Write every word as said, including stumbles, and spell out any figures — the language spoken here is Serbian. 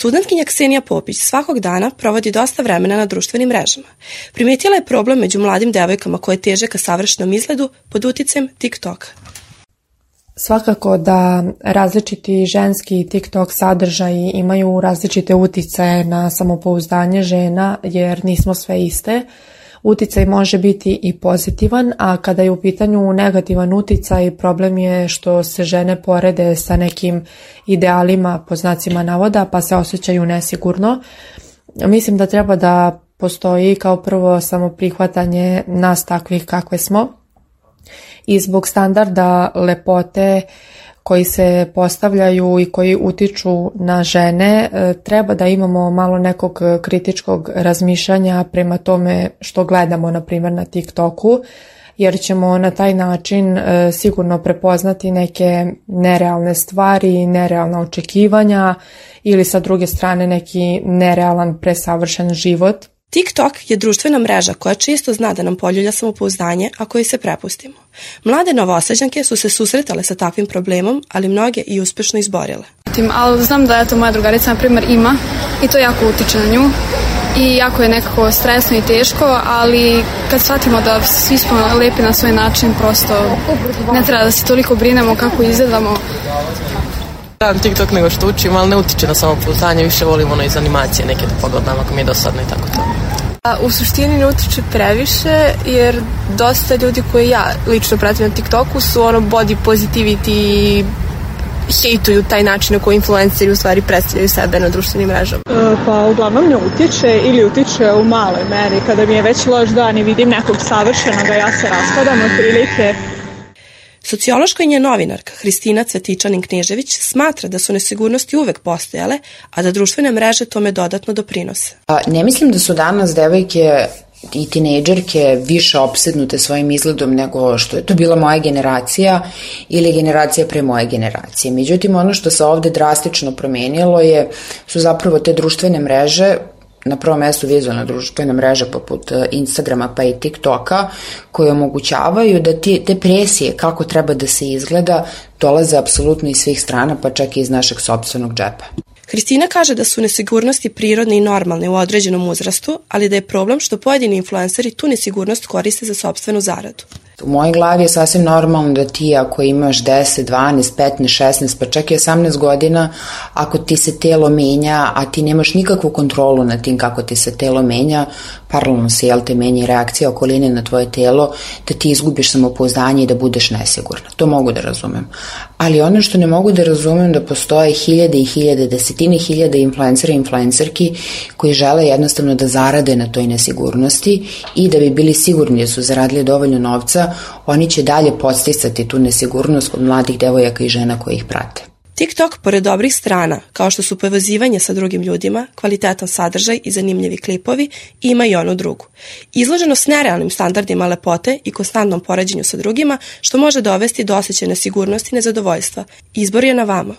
Studentkinja Ksenija Popić svakog dana provodi dosta vremena na društvenim mrežama. Primetila je problem među mladim devojkama koje teže ka savršenom izgledu pod uticajem TikToka. Svakako da različiti ženski TikTok sadržaji imaju različite uticaje na samopouzdanje žena jer nismo sve iste. Uticaj može biti i pozitivan, a kada je u pitanju negativan uticaj, problem je što se žene porede sa nekim idealima po znacima navoda pa se osjećaju nesigurno. Mislim da treba da postoji kao prvo samoprihvatanje nas takvih kakve smo i zbog standarda lepote koji se postavljaju i koji utiču na žene, treba da imamo malo nekog kritičkog razmišljanja prema tome što gledamo, na primjer, na TikToku, jer ćemo na taj način sigurno prepoznati neke nerealne stvari, nerealna očekivanja ili sa druge strane neki nerealan presavršen život. TikTok je društvena mreža koja često zna da nam poljulja samopouzdanje ako joj se prepustimo. Mlade novosađanke su se susretale sa takvim problemom, ali mnoge i uspešno izborile. Ali znam da eto, moja drugarica na primjer ima i to jako utiče na nju i jako je nekako stresno i teško, ali kad shvatimo da svi smo lepi na svoj način, prosto ne treba da se toliko brinemo kako izgledamo. Radim TikTok nego što učim, ali ne utiče na samopouzdanje, više volim ono iz animacije neke da pogledam ako mi je dosadno i tako to. A u suštini ne utiče previše, jer dosta ljudi koje ja lično pratim na TikToku su ono body positivity i hejtuju taj način na koji influenceri u stvari predstavljaju sebe na društvenim mrežama. E, pa uglavnom ne utiče ili utiče u maloj meri. Kada mi je već loš dan i vidim nekog savršenog, a ja se raspadam otprilike. Sociološka i nje novinarka Hristina Cvetičanin-Knežević smatra da su nesigurnosti uvek postojale, a da društvene mreže tome dodatno doprinose. Ne mislim da su danas devojke i tinejdžerke više opsednute svojim izgledom nego što je to bila moja generacija ili generacija pre moje generacije. Međutim, ono što se ovde drastično promenilo je, su zapravo te društvene mreže, na prvom mjestu vizualna društvena mreža poput Instagrama pa i TikToka, koje omogućavaju da ti, te presije kako treba da se izgleda dolaze apsolutno iz svih strana, pa čak i iz našeg sopstvenog džepa. Hristina kaže da su nesigurnosti prirodne i normalne u određenom uzrastu, ali da je problem što pojedini influenceri tu nesigurnost koriste za sopstvenu zaradu. U mojoj glavi je sasvim normalno da ti ako imaš deset, dvanaest, petnaest, šesnaest, pa čak i osamnaest godina, ako ti se telo menja, a ti nemaš nikakvu kontrolu nad tim kako ti se telo menja, paralelno se jel te menja reakcija okoline na tvoje telo, da ti izgubiš samopouzdanje i da budeš nesigurna. To mogu da razumem. Ali ono što ne mogu da razumem da postoje hiljade i hiljade, desetine hiljade influencera i influencerki koji žele jednostavno da zarade na toj nesigurnosti i da bi bili sigurni da su zaradili dovoljno novca, oni će dalje podsticati tu nesigurnost kod mladih devojaka i žena koji ih prate. TikTok, pored dobrih strana, kao što su povezivanje sa drugim ljudima, kvalitetan sadržaj i zanimljivi klipovi, ima i onu drugu. Izloženost nerealnim standardima lepote i konstantnom poređenju sa drugima, što može dovesti do osjećaja nesigurnosti i nezadovoljstva. Izbor je na vama.